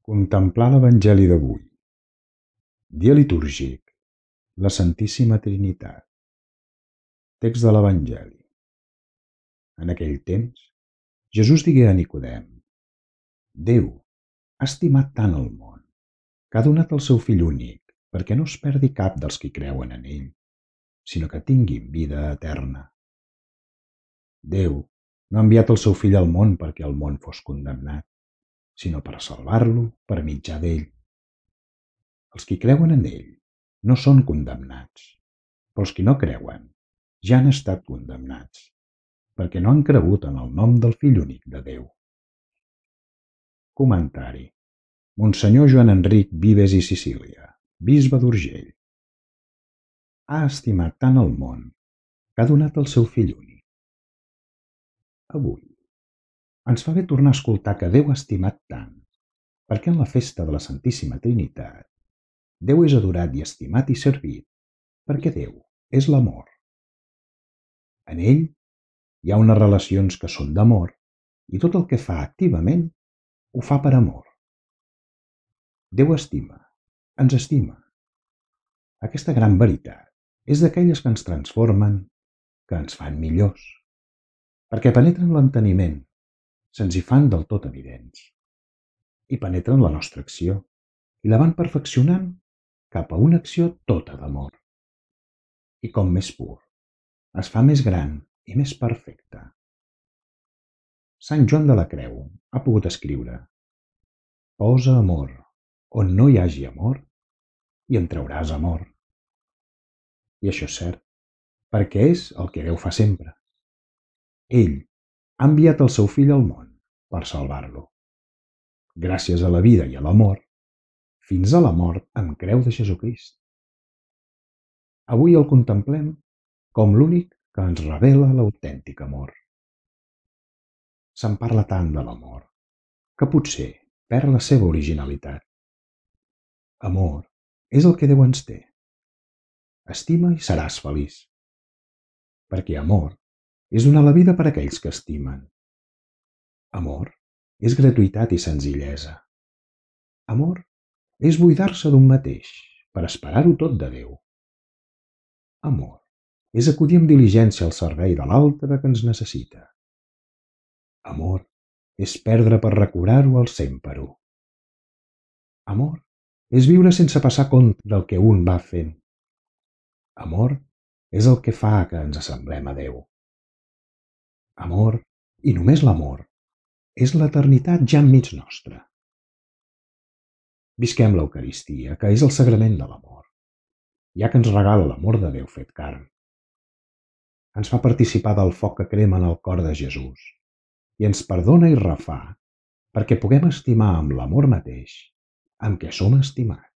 Contemplar l'Evangeli d'avui. Dia litúrgic. La Santíssima Trinitat. Text de l'Evangeli. En aquell temps, Jesús digué a Nicodem: Déu ha estimat tant el món, que ha donat el seu Fill únic, perquè no es perdi cap dels qui creuen en ell, sinó que tinguin vida eterna. Déu no ha enviat el seu Fill al món perquè el món fos condemnat, sinó per salvar-lo per mitjà d'ell. Els qui creuen en ell no són condemnats, però els qui no creuen ja han estat condemnats, perquè no han cregut en el nom del Fill únic de Déu. Comentari. Monsenyor Joan Enric Vives i Sicília, bisbe d'Urgell. Ha estimat tant el món que ha donat el seu Fill únic. Avui ens fa bé tornar a escoltar que Déu ha estimat tant, perquè en la festa de la Santíssima Trinitat Déu és adorat i estimat i servit, perquè Déu és l'amor. En ell hi ha unes relacions que són d'amor i tot el que fa activament ho fa per amor. Déu estima, ens estima. Aquesta gran veritat és d'aquelles que ens transformen, que ens fan millors, perquè penetren l'enteniment, se'ns hi fan del tot evidents, i penetren la nostra acció i la van perfeccionant cap a una acció tota d'amor. I com més pur, es fa més gran i més perfecte. Sant Joan de la Creu ha pogut escriure: posa amor on no hi hagi amor i en trauràs amor. I això és cert, perquè és el que Déu fa sempre. Ell ha enviat el seu Fill al món per salvar-lo. Gràcies a la vida i a l'amor, fins a la mort amb creu de Jesucrist. Avui el contemplem com l'únic que ens revela l'autèntic amor. Se'n parla tant de l'amor, que potser perd la seva originalitat. Amor és el que Déu ens té. Estima i seràs feliç. Perquè amor és donar la vida per a aquells que estimen. Amor és gratuïtat i senzillesa. Amor és buidar-se d'un mateix per esperar-ho tot de Déu. Amor és acudir amb diligència al servei de l'altre que ens necessita. Amor és perdre per recobrar-ho al 100%. Amor és viure sense passar compte del que un va fent. Amor és el que fa que ens assemblem a Déu. Amor, i només l'amor, és l'eternitat ja enmig nostra. Visquem l'Eucaristia, que és el sagrament de l'amor, ja que ens regala l'amor de Déu fet carn. Ens fa participar del foc que crema en el cor de Jesús i ens perdona i refà perquè puguem estimar amb l'amor mateix amb què som estimats.